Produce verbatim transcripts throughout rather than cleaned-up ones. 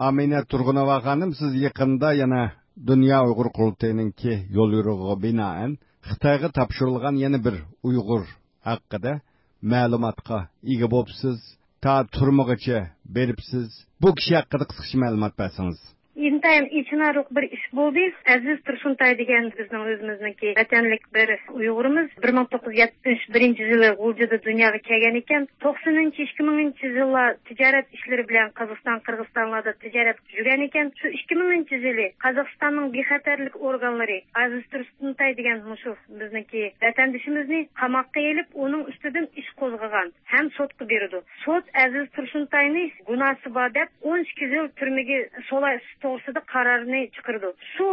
ئامىنە تۇرغۇنوۋا خانىم، سىز يېقىندا يەنە دۇنيا ئۇيغۇر قۇرۇلتىيىنىڭكى يوليورۇقىغا بىنائەن خىتايغا تاپشۇرۇلغان يەنە بىر ئۇيغۇر ھەققىدە مەلۇماتقا ئىگە بوپسىز، تا تۈرمىگىچە بېرىپسىز. بۇ كىشى ھەققىدە قىسقىچە مەلۇمات بەرسىڭىز. ئىنتايىن ئېچىنارلىق بىر ئىش بولدى. ئەزىز تۇرسۇنتاي دېگەن بىزنىڭ ئۆزىمىزنىڭكى ۋەتەنلىك بىر ئۇيغۇرىمىز بىر مىڭ توققۇز يۈز يەتمىش بىرىنچى يىلى غۇلجىدا دۇنياغا كەلگەن ئىكەن. توقسىنىنچى، ئىككى مىڭىنچى يىللار تىجارەت ئىشلىرى بىلەن قازاقىستان، قىرغىزىستانلاردا تىجارەت يۈرگەن ئىكەن. شۇ ئىككى مىڭىنچى يىلى قازاقىستاننىڭ بىخەتەرلىك ئورگانلىرى ئەزىز تۇرسۇنتاي دېگەن مۇشۇ بىزنىڭكى ۋەتەندىشىمىزنى قاماققا ئېلىپ، ئۇنىڭ ئۈستىدىن ئىش قوزغىغان ھەم سوتقا بېرىدۇ. سوت ئەزىز تۇرسۇنتاينى گۇناھسى بار دەپ، ئون ئىككى يىل تۈرمىگە سولاش توغرىسىدا قارارنى چىقىرىدۇ. شۇ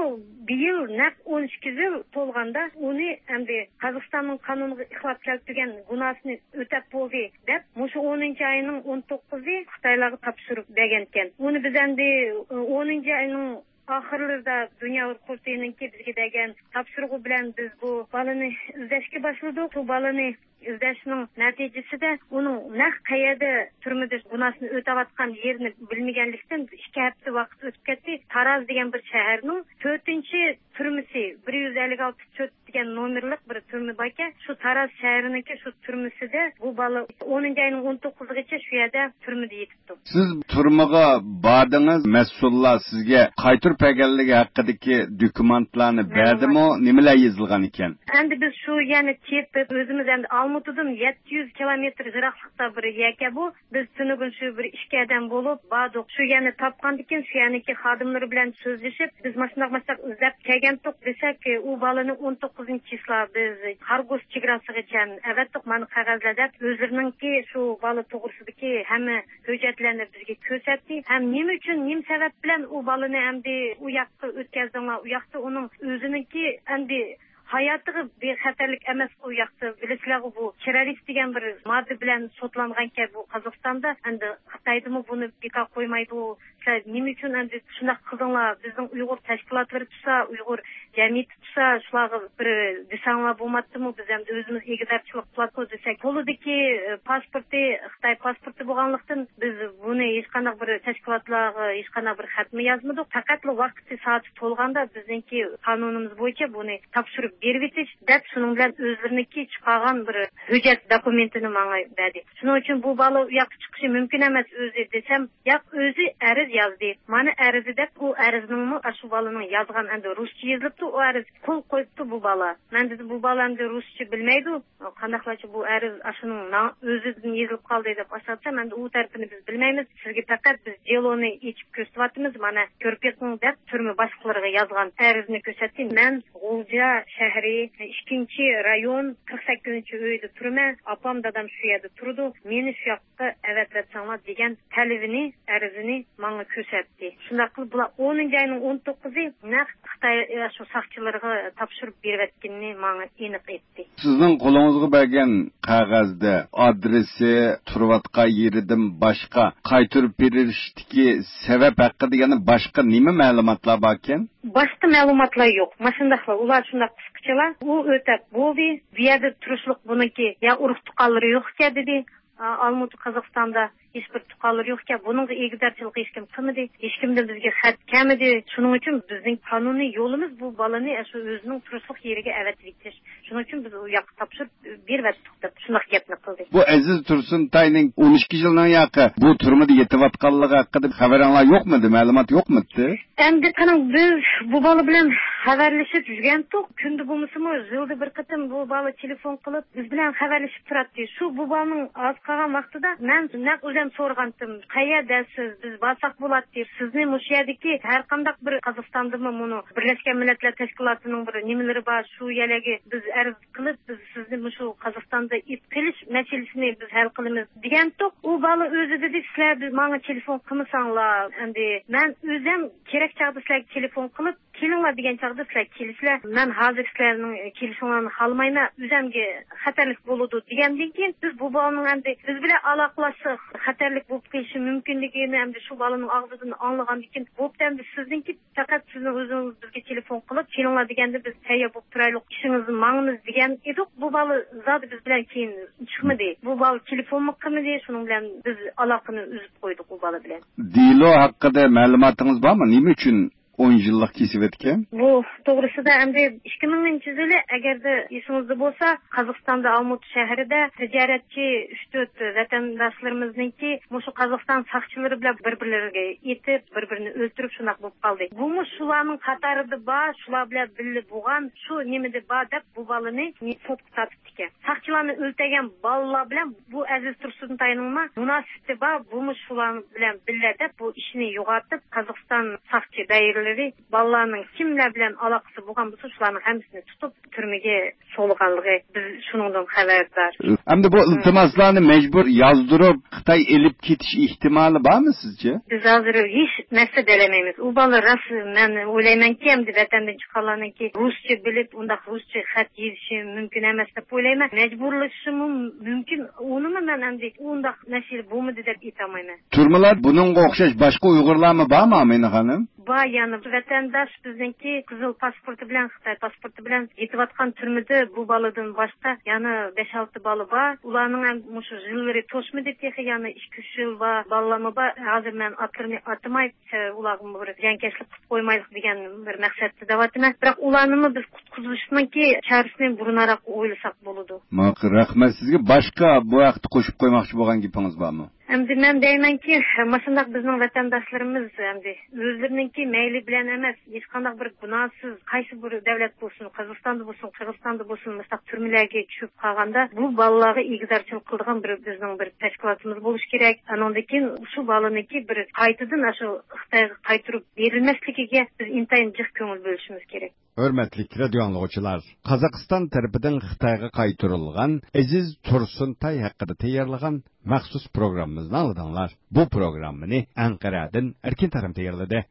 بىيىل نەق ئون ئىككى يىل تولغاندا، ئۇنى ئەمدى قازاقىستاننىڭ قانۇنىغا خىلاپ كەلتۈرگەن گۇناھسىنى ئۆتەپ بولدى دەپ، مۇشۇ ئونىنچى ئاينىڭ ئون توققۇزى خىتايلارغا تاپشۇرۇپ بەرگەنىكەن. ئۇنى بىز ئەمدى ئونىنچى ئاينىڭ ئاخىرلىرىدا دۇنيا ئۇيغۇر قۇرۇلتىيىنىڭكى بىزگە بەرگەن تاپشۇرۇقى بىلەن بىز بۇ بالىنى ئىزدەشكە باشلىدۇق. بۇ بالىنى ئىزدەشنىڭ نەتىجىسىدە ئۇنىڭ نەق قەيەردە تۈرمىدە گۇناھسىنى ئۆتەۋاتقان يېرىنى بىلمىگەنلىكتىن، ئىككى ھەپتە ۋاقىت ئۆتۈپ كەتتى. تاراز دېگەن بىر شەھەرنىڭ تۆتىنچى تۈرمىسى، بىر يۈز ئەللىك ئالتە تۆت دېگەن نومېرلىق بىر تۈرمە باركەن، شۇ تاراز شەھىرىنىڭكى شۇ تۈرمىسىدە بۇ بالا ئونىنچى ئاينىڭ ئون توققۇزىغىچە شۇ يەردە تۈرمىدە يېتىپتۇ. سىز تۈرمىگە باردىڭىز، مەسئۇللار سىزگە قايتۇرۇپ بەرگەنلىكى ھەققىدىكى دوكۇمېنتلارنى بەردىمۇ؟ نېمىلەر يېزىلغان ئىكەن؟ ئەمدى بىز شۇ يەرنى تېپىپ، ئۆزىمىز ئەمدى ئالمۇتىدىن يەتتە يۈز كىلومېتىر يىراقلىقتا بىر يەركەن بۇ. بىز تۈنۈگۈن شۇ بىر ئىككى ئادەم بولۇپ باردۇق. شۇ يەرنى تاپقاندىكىن، شۇ يەرنىڭكى خادىملىرى بىلەن سۆزلىشىپ، بىز ماشۇنداق، ماشۇنداق ئىزدەپ كەلگەنتۇق دېسەك، ئۇ بالىنى ئون توققۇزىنچى چىسلا بىز خارگوس چېگراسىغىچە ئەۋەتتۇق، مانا قەغەزلەر دەپ، ئۆزلىرىنىڭكى شۇ بالا توغرىسىدىكى ھەممە ھۆججەتلەرنى بىزگە كۆرسەتتى. ھەم نېمە ئۈچۈن، نېمە سەۋەب بىلەن ئۇ بالىنى ئەمدى ئۇ ياققا ئۆتكەزدىڭلار؟ ئۇ ياقتا ئۇنىڭ ئۆزىنىڭكى ئەمدى ھاياتىغا بىخەتەرلىك ئەمەسقۇ ئۇ ياقتا. بىلىسىلەرغۇ، بۇ تېررورىست دېگەن بىر ماددا بىلەن سوتلانغانكەن بۇ قازاقىستاندا. ئەمدى خىتايدىمۇ بۇنى بىكار قويمايدۇ. سىلەر نېمە ئۈچۈن ئەمدى شۇنداق قىلدىڭلار؟ بىزنىڭ ئۇيغۇر تەشكىلاتلىرى تۇرسا، ئۇيغۇر جەمئىيىتى تۇرسا، شۇلارغا بىر دېسەڭلار بولماپتىمۇ؟ بىز ئەمدى ئۆزىمىز ئىگىدارچىلىق قىلاتقۇ دېسەك، قولىدىكى، ئى، پاسپورتى خىتاي پاسپورتى بولغانلىقتىن، بىز بۇنى ھېچقانداق بىر تەشكىلاتلارغا ھېچقانداق بىر خەتمۇ يازمىدۇق. پەقەتلا ۋاقتى سائىتى تولغاندا بىزنىڭكى قانۇنىمىز بويىچە بۇنى تاپشۇرۇپ بېرىۋېتىش دەپ، شۇنىڭ بىلەن ئۆزلىرىنىڭكى چىقارغان بىر ھۆججەت دوكۇمېنتىنى ماڭا بەردى. شۇنىڭ ئۈچۈن بۇ بالا ئۇ ياققا چىقىشى مۇمكىن ئەمەس ئۆزى دېسەم، ياق، ئۆزى ئەرز يازدى. مانا ئەرزى دەپ، ئۇ ئەرزنىڭمۇ ئاشۇ بالىنىڭ يازغان، ئەمدى رۇسچە يېزىلىپتۇ، ئۇ ئەرز قول قويۇپتۇ بۇ بالا. مەن دېدىم، بۇ بالا ئەمدى رۇسچە بىلمەيدۇ، قانداقلارچە بۇ ئەرز ئاشۇنىڭ ماڭا ئۆزىدىن يېزىلىپ قالدى دەپ ئاشۇ دېسەم، ئەمدى ئۇ تەرىپىنى بىز بىلمەيمىز. سىزگە پەقەت بىز دېلونى ئېچىپ كۆرسىتىۋاتىمىز، مانا كۆرۈپ بېقىڭ دەپ تۈرمە باشلىقلىرىغا يازغان ئەرزىنى كۆرسەتتى. مەن غۇلجا شەھىرى ئىككىنچى رايون قىرىق سەككىزىنچى ئۆيدە تۇرىمەن. ئاپام، دادام شۇ يەردە تۇرىدۇ. مېنى شۇ ياققا ئەۋەتىۋەتسەڭلار دېگەن تەلىپىنى، ئەرزىنى ماڭا كۆرسەتتى. شۇنداق قىلىپ بۇلار ئونىنچى ئاينىڭ ئون توققۇزى نەق خىتاي، ئاشۇ ساقچىلىرىغا تاپشۇرۇپ بېرىۋەتكىنىنى ماڭا ئېنىق ئېيتتى. سىزنىڭ قولىڭىزغا بەرگەن قەغەزدە ئادرېسى، تۇرۇۋاتقان يېرىدىن باشقا قايتۇرۇپ بېرىشتىكى سەۋەب ھەققىدە يەنە باشقا نېمە مەلۇماتلار باركەن؟ باشقا مەلۇماتلار يوق. ماشۇنداقلا، ئۇلار شۇنداق قىسقىچىلا، ئۇ ئۆتەپ بولدى، بۇ يەردە تۇرۇشلۇق بۇنىڭكى يا ئۇرۇق تۇغقانلىرى يوقكەن دېدى. ئا، ئالمۇتا قازاقىستاندا ھېچبىر تۇغقانلىرى يوقكەن، بۇنىڭغا ئىگىدارچىلىق ھېچكىم قىلمىدى، ھېچكىمدىن بىزگە خەت كەلمىدى. شۇنىڭ ئۈچۈن بىزنىڭ قانۇنىي يولىمىز بۇ بالىنى شۇ ئۆزىنىڭ تۇرۇشلۇق يېرىگە ئەۋەتىۋېتىش. شۇنىڭ ئۈچۈن بىز ئۇ ياققا تاپشۇرۇپ بېرىۋەتتۇق دەپ شۇنداق گەپنى قىلدى. بۇ ئەزىز تۇرسۇنتاينىڭ ئون ئىككى يىلنىڭ ياقى بۇ تۈرمىدە يېتىۋاتقانلىقى ھەققىدە خەۋىرىڭلار يوقمىدى؟ مەلۇمات يوقمىدى؟ ئەمدى قېنىڭ، بىز بۇ بالا بىلەن خەۋەرلىشىپ يۈرگەنتۇق. كۈندە بولمىسىمۇ، يىلدا بىر قېتىم بۇ بالا تېلېفون قىلىپ، بىز بىلەن خەۋەرلىشىپ تۇراتتى. شۇ بۇ بالىنىڭ ئاز قالغان ۋاقتىدا مەن نەق ئۆزۈم سورىغانتىم، قەيەردە سىز؟ بىز بارساق بولاتتى. سىزنى مۇشۇ يەردىكى ھەر قانداق بىر قازاقىستاندىمۇ مۇنۇ بىرلەشكەن مىللەتلەر تەشكىلاتىنىڭ بىر نېمىلىرى بار، شۇ يەرلەرگە بىز ئەرز قىلىپ، بىز سىزنى مۇشۇ قازاقىستاندا ئېلىپ قېلىش مەسىلىسىنى بىز ھەل قىلىمىز دېگەنتۇق. ئۇ بالا ئۆزى دېدى، سىلەر بىز، ماڭا تېلېفون قىلمىساڭلار، ئەمدى مەن ئۆزۈم كېرەك چاغدا سىلەرگە تېلېفون قىلىپ، كېلىڭلار دېگەن چاغدا سىلەر كېلىسىلەر. مەن ھازىر سىلەرنىڭ كېلىشىڭلارنى خالىمايمەن، ئۆزەمگە خەتەرلىك بولىدۇ دېگەندىن كېيىن، بىز بۇ بالىنىڭ ئەمدى بىز بىلەن ئالاقىلاشسا خەتەرلىك بولۇپ قېلىشى مۇمكىنلىكىنى ئەمدى شۇ بالىنىڭ ئاغزىدىن ئاڭلىغاندىن كېيىن، بوپتۇ، ئەمدى سىزنىڭكى پەقەت سىزنىڭ ئۆزىڭىز بىزگە تېلېفون قىلىپ، كېلىڭلار دېگەندە بىز تەييار بولۇپ تۇرايلۇق، ئىشىڭىزنى ماڭىمىز دېگەن ئىدۇق. بۇ بالا زادى بىز بىلەن كېيىن چىقمىدى. بۇ بالا تېلېفونمۇ قىلمىدى، شۇنىڭ بىلەن بىز ئالاقىنى ئۈزۈپ قويدۇق ئۇ بالا بىلەن. دېلو ھەققىدە مەلۇماتىڭىز بارمۇ؟ نېمە ئۈچۈن ئون يىللىق كېسىۋەتكەن؟ بۇ توغرىسىدا ئەمدى ئىككى مىڭىنچى يىلى، ئەگەردە ئېسىڭىزدە بولسا، قازاقىستاندا ئالمۇتا شەھىرىدە تىجارەتچى ئۈچ تۆت ۋەتەنداشلىرىمىزنىڭكى مۇشۇ قازاقىستان ساقچىلىرى بىلەن بىر-بىرلىرىگە ئېتىپ، بىر-بىرىنى ئۆلتۈرۈپ شۇنداق بولۇپ قالدى. بۇمۇ شۇلارنىڭ قاتارىدا بار، شۇلار بىلەن بىللە بولغان، شۇ نېمىدە بار دەپ بۇ بالىنى سوتقا تارتىپتىكەن. ساقچىلارنى ئۆلتۈرگەن بالىلار بىلەن بۇ ئەزىز تۇرسۇنتاينىڭمۇ مۇناسىۋىتى بار، بۇمۇ شۇلار بىلەن بىللە دەپ بۇ ئىشنى يوغىنىتىپ، قازاقىستان ساقچى دائىرىلىرى بالىلارنىڭ كىملەر بىلەن ئالاقىسى بولغان بولسا، شۇلارنىڭ ھەممىسىنى تۇتۇپ، تۈرمىگە سولىغانلىقى، بىز شۇنىڭدىن خەۋەردار. ئەمدى بۇ ئىلتىماسلارنى مەجبۇر يازدۇرۇپ، خىتاي ئېلىپ كېتىش ئېھتىمالى بارمۇ سىزچە؟ بىز ھازىر ھېچ نەرسە دېيەلمەيمىز. ئۇ بالا راست، مەن ئويلايمەنكى، ئەمدى ۋەتەندىن چىققانلارنىڭكى رۇسچە بىلىپ، ئۇنداق رۇسچە خەت يېزىشى مۇمكىن ئەمەس دەپ ئويلايمەن. مەجبۇرلىشىشىمۇ مۇمكىن. ئۇنىمۇ مەن ئەمدى ئۇنداق مەسىلە بولمىدى دەپ ئېيتالمايمەن. تۈرمىلەر بۇنىڭغا ئوخشاش باشقا ئۇيغۇرلارمۇ بارمۇ، ئامىنە خانىم؟ بار، يەنە ۋەتەنداش بىزنىڭكى قىزىل پاسپورتى بىلەن، خىتاي پاسپورتى بىلەن يېتىۋاتقان تۈرمىدە بۇ بالىدىن باشقا يەنە بەش-ئالتە بالا بار. ئۇلارنىڭ ھەم مۇشۇ يىللىرى توشمىدى تېخى، يەنە ئىككى-ئۈچ يىل بار بالىلارمۇ بار. ھازىر مەن ئاتلىرىنى ئاتىماي، ئۇلارغا بىر زىيانكەشلىك قىلىپ قويمايلىق دېگەن بىر مەقسەتتە دەۋاتىمەن. بىراق ئۇلارنىمۇ بىز قۇتقۇزۇشنىڭكى چارىسىنى بۇرۇنراق ئويلىساق بولىدۇ. ماقۇل، رەھمەت سىزگە. باشقا بۇ ھەقتە قوشۇپ قويماقچى بولغان گېپىڭىز بارمۇ؟ ئەمدى مەن دەيمەنكى، مۇشۇنداق بىزنىڭ ۋەتەنداشلىرىمىز ئەمدى ئۆزلىرىنىڭكى مەيلى بىلەن ئەمەس، ھېچقانداق بىر گۇناھسىز، قايسى بىر دەۋلەت بولسۇن، قازاقىستاندا بولسۇن، قىرغىزىستاندا بولسۇن، مۇشۇنداق تۈرمىلەرگە چۈشۈپ قالغاندا، بۇ بالىلارغا ئىگىدارچىلىق قىلىدىغان بىر بىزنىڭ بىر تەشكىلاتىمىز بولۇشى كېرەك. ئانىڭدىن كېيىن شۇ بالىنىڭكى بىر قايتىدىن ئاشۇ خىتايغا قايتۇرۇپ بېرىلمەسلىكىگە بىز ئىنتايىن جىق كۆڭۈل بۆلۈشىمىز كېرەك. ھۆرمەتلىك رادىيو ئاڭلىغۇچىلار، قازاقىستان تەرىپىدىن خىتايغا قايتۇرۇلغان ئەزىز تۇرسۇنتاي ھەققىدە تەييارلىغان مەخسۇس پروگراممىمىزنى ئاڭلىدىڭلار. بۇ پروگراممىنى ئەنقەرەدىن ئەركىن تارىم تەييارلىدى.